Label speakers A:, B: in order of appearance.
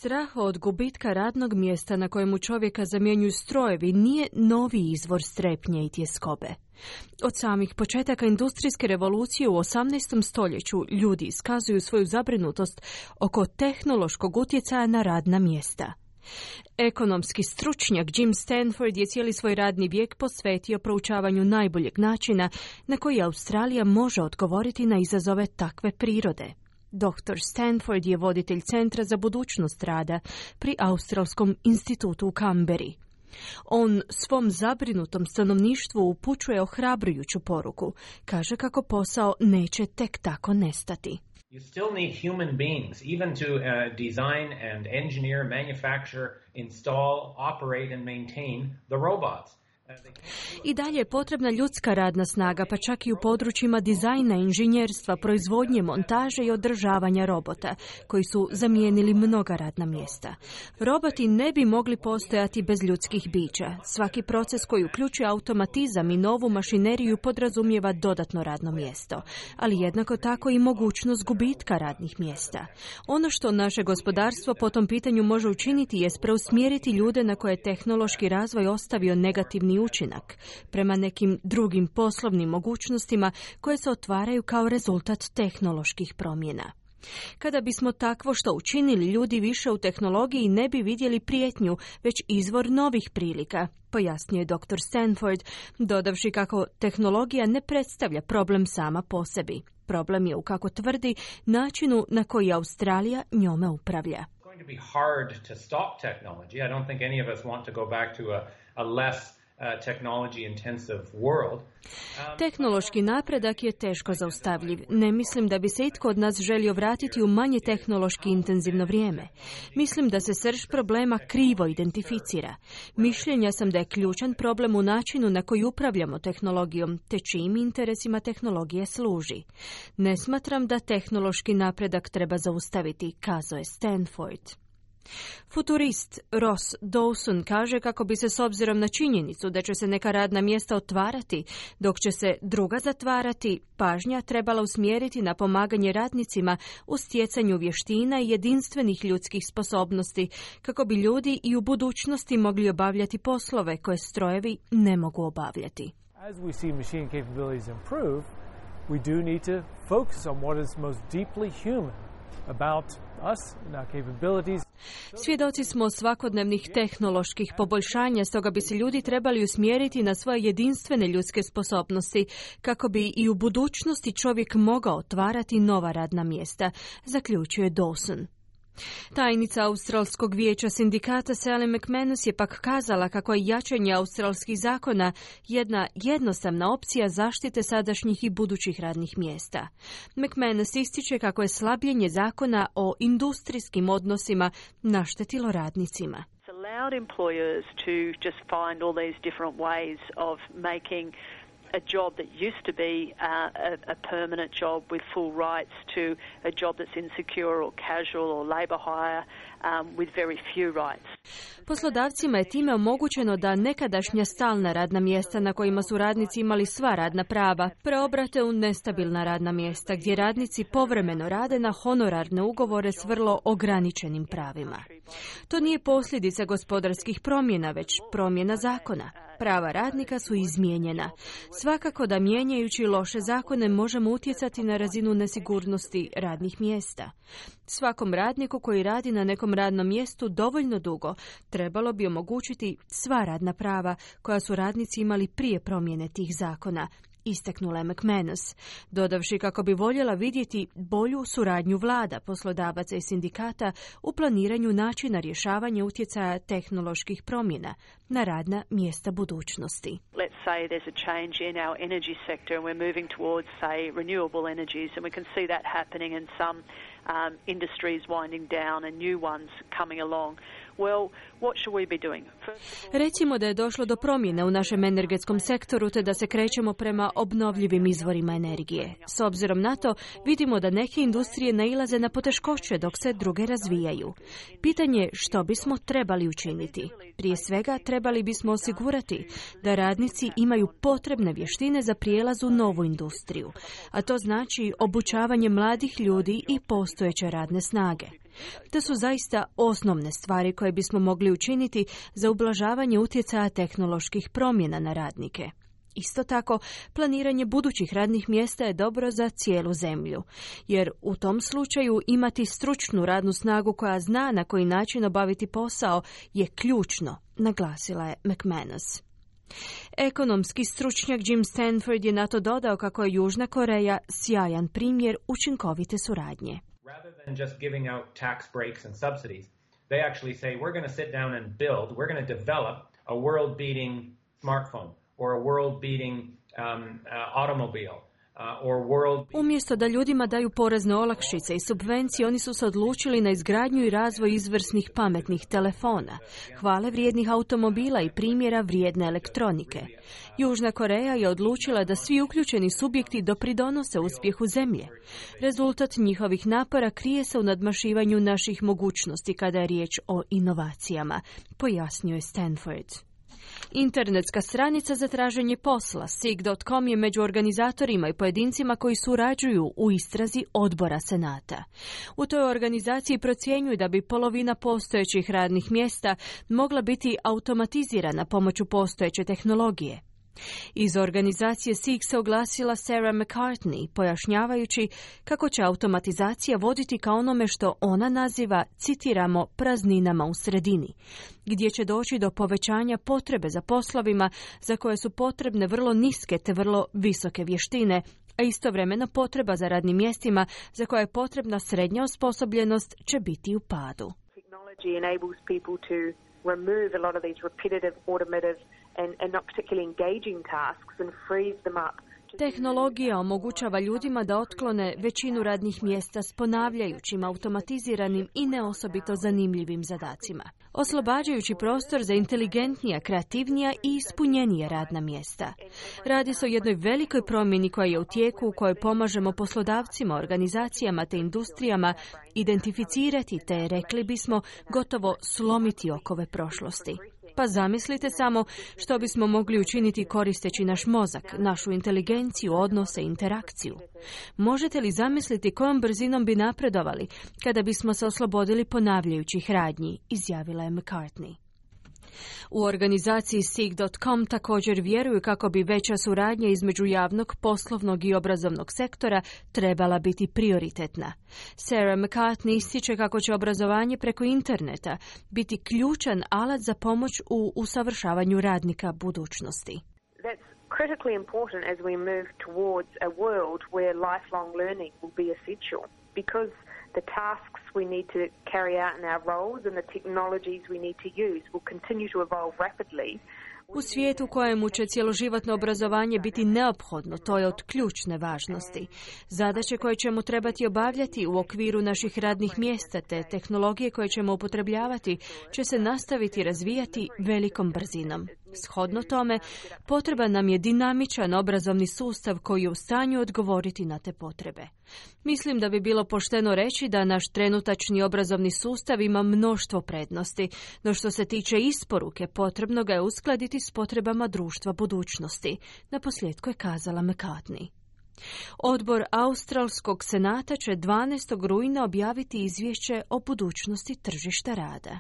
A: Strah od gubitka radnog mjesta na kojemu čovjeka zamjenjuju strojevi nije novi izvor strepnje i tjeskobe. Od samih početaka industrijske revolucije u 18. stoljeću ljudi iskazuju svoju zabrinutost oko tehnološkog utjecaja na radna mjesta. Ekonomski stručnjak Jim Stanford je cijeli svoj radni vijek posvetio proučavanju najboljeg načina na koji Australija može odgovoriti na izazove takve prirode. Dr. Stanford je voditelj Centra za budućnost rada pri Australskom institutu u Kamberi. On svom zabrinutom stanovništvu upućuje ohrabrujuću poruku. Kaže kako posao neće tek tako nestati.
B: You still need human beings, even to design and engineer, manufacture, install, operate and maintain the robots.
A: I dalje je potrebna ljudska radna snaga, pa čak i u područjima dizajna, inženjerstva, proizvodnje, montaže i održavanja robota, koji su zamijenili mnoga radna mjesta. Roboti ne bi mogli postojati bez ljudskih bića. Svaki proces koji uključuje automatizam i novu mašineriju podrazumijeva dodatno radno mjesto, ali jednako tako i mogućnost gubitka radnih mjesta. Ono što naše gospodarstvo po tom pitanju može učiniti jest preusmjeriti ljude na koje je tehnološki razvoj ostavio negativni učinak, prema nekim drugim poslovnim mogućnostima koje se otvaraju kao rezultat tehnoloških promjena. Kada bismo takvo što učinili, ljudi više u tehnologiji ne bi vidjeli prijetnju, već izvor novih prilika, pojasnio je dr. Stanford, dodavši kako tehnologija ne predstavlja problem sama po sebi. Problem je, kako tvrdi, načinu na koji Australija njome upravlja. Tehnološki napredak je teško zaustavljiv. Ne mislim da bi se itko od nas želio vratiti u manje tehnološki intenzivno vrijeme. Mislim da se srž problema krivo identificira. Mišljenja sam da je ključan problem u načinu na koji upravljamo tehnologijom, te čijim interesima tehnologije služi. Ne smatram da tehnološki napredak treba zaustaviti, kazao je Stanford. Futurist Ross Dawson kaže kako bi se s obzirom na činjenicu da će se neka radna mjesta otvarati, dok će se druga zatvarati, pažnja trebala usmjeriti na pomaganje radnicima u stjecanju vještina i jedinstvenih ljudskih sposobnosti, kako bi ljudi i u budućnosti mogli obavljati poslove koje strojevi ne mogu obavljati.
C: As we see machine capabilities improve, we do need to focus on what is most deeply human about us and our capabilities.
A: Svjedoci smo svakodnevnih tehnoloških poboljšanja, stoga bi se ljudi trebali usmjeriti na svoje jedinstvene ljudske sposobnosti, kako bi i u budućnosti čovjek mogao otvarati nova radna mjesta, zaključuje Dawson. Tajnica Australskog vijeća sindikata Sally McManus je pak kazala kako je jačanje australskih zakona jedna jednostavna opcija zaštite sadašnjih i budućih radnih mjesta. McManus ističe kako je slabljenje zakona o industrijskim odnosima naštetilo radnicima.
D: It's allowed employers to just find all these different ways of making a job that used to be a permanent job with full rights to a job that's insecure or casual or labor hire with very few rights.
A: Poslodavcima je time omogućeno da nekadašnja stalna radna mjesta na kojima su radnici imali sva radna prava preobrate u nestabilna radna mjesta gdje radnici povremeno rade na honorarne ugovore s vrlo ograničenim pravima. To nije posljedica gospodarskih promjena, već promjena zakona. Prava radnika su izmijenjena. Svakako da mijenjajući loše zakone možemo utjecati na razinu nesigurnosti radnih mjesta. Svakom radniku koji radi na nekom radnom mjestu dovoljno dugo trebalo bi omogućiti sva radna prava koja su radnici imali prije promjene tih zakona, istaknula je McManus, dodavši kako bi voljela vidjeti bolju suradnju vlada, poslodavaca i sindikata u planiranju načina rješavanja utjecaja tehnoloških promjena na radna mjesta budućnosti.
D: Let's say there's a change in our energy sector and we're moving towards, say, renewable energies, and we can see that happening in some industries winding down and new ones coming along. Well, what should we be doing?
A: Recimo da je došlo do promjene u našem energetskom sektoru te da se krećemo prema obnovljivim izvorima energije. S obzirom na to, vidimo da neke industrije nailaze na poteškoće dok se druge razvijaju. Pitanje je što bismo trebali učiniti. Prije svega, trebali bismo osigurati da radnici imaju potrebne vještine za prijelaz u novu industriju, a to znači obučavanje mladih ljudi i postojeće radne snage. To su zaista osnovne stvari koje bismo mogli učiniti za ublažavanje utjecaja tehnoloških promjena na radnike. Isto tako, planiranje budućih radnih mjesta je dobro za cijelu zemlju, jer u tom slučaju imati stručnu radnu snagu koja zna na koji način obaviti posao je ključno, naglasila je McManus. Ekonomski stručnjak Jim Stanford je na to dodao kako je Južna Koreja sjajan primjer učinkovite suradnje.
B: Rather than just giving out tax breaks and subsidies, they actually say we're going to sit down and build, we're going to develop a world-beating smartphone or a world-beating automobile.
A: Umjesto da ljudima daju porezne olakšice i subvencije, oni su se odlučili na izgradnju i razvoj izvrsnih pametnih telefona, hvale vrijednih automobila i primjera vrijedne elektronike. Južna Koreja je odlučila da svi uključeni subjekti dopridonose uspjehu zemlje. Rezultat njihovih napora krije se u nadmašivanju naših mogućnosti kada je riječ o inovacijama, pojasnio je Stanford. Internetska stranica za traženje posla Seek.com je među organizatorima i pojedincima koji surađuju u istrazi odbora Senata. U toj organizaciji procjenjuju da bi polovina postojećih radnih mjesta mogla biti automatizirana pomoću postojeće tehnologije. Iz organizacije Seek se oglasila Sarah McCartney, pojašnjavajući kako će automatizacija voditi ka onome što ona naziva, citiramo, prazninama u sredini, gdje će doći do povećanja potrebe za poslovima za koje su potrebne vrlo niske te vrlo visoke vještine, a istovremeno potreba za radnim mjestima za koje je potrebna srednja osposobljenost će biti u padu.
E: Technology enables people to remove a lot of these repetitive, automative and not particularly engaging tasks and frees them up.
A: Tehnologija omogućava ljudima da otklone većinu radnih mjesta s ponavljajućim, automatiziranim i neosobito zanimljivim zadacima, oslobađajući prostor za inteligentnija, kreativnija i ispunjenija radna mjesta. Radi se o jednoj velikoj promjeni koja je u tijeku, u kojoj pomažemo poslodavcima, organizacijama te industrijama identificirati te, rekli bismo, gotovo slomiti okove prošlosti. Pa zamislite samo što bismo mogli učiniti koristeći naš mozak, našu inteligenciju, odnose i interakciju. Možete li zamisliti kojom brzinom bi napredovali kada bismo se oslobodili ponavljajućih radnji, izjavila je McCartney. U organizaciji Seek.com također vjeruju kako bi veća suradnja između javnog, poslovnog i obrazovnog sektora trebala biti prioritetna. Sarah McCartney ističe kako će obrazovanje preko interneta biti ključan alat za pomoć u usavršavanju radnika budućnosti.
E: That's critically important as we move towards a world where lifelong learning will be essential, because the tasks we need to carry out in our roles and the technologies we need to use will continue to evolve rapidly.
A: U svijetu u kojemu će cjeloživotno obrazovanje biti neophodno, to je od ključne važnosti. Zadaće koje ćemo trebati obavljati u okviru naših radnih mjesta te tehnologije koje ćemo upotrebljavati će se nastaviti razvijati velikom brzinom. Shodno tome, potreban nam je dinamičan obrazovni sustav koji je u stanju odgovoriti na te potrebe. Mislim da bi bilo pošteno reći da naš trenutačni obrazovni sustav ima mnoštvo prednosti, no što se tiče isporuke, potrebno ga je uskladiti s potrebama društva budućnosti, naposljetku je kazala McCartney. Odbor Australskog senata će 12. rujna objaviti izvješće o budućnosti tržišta rada.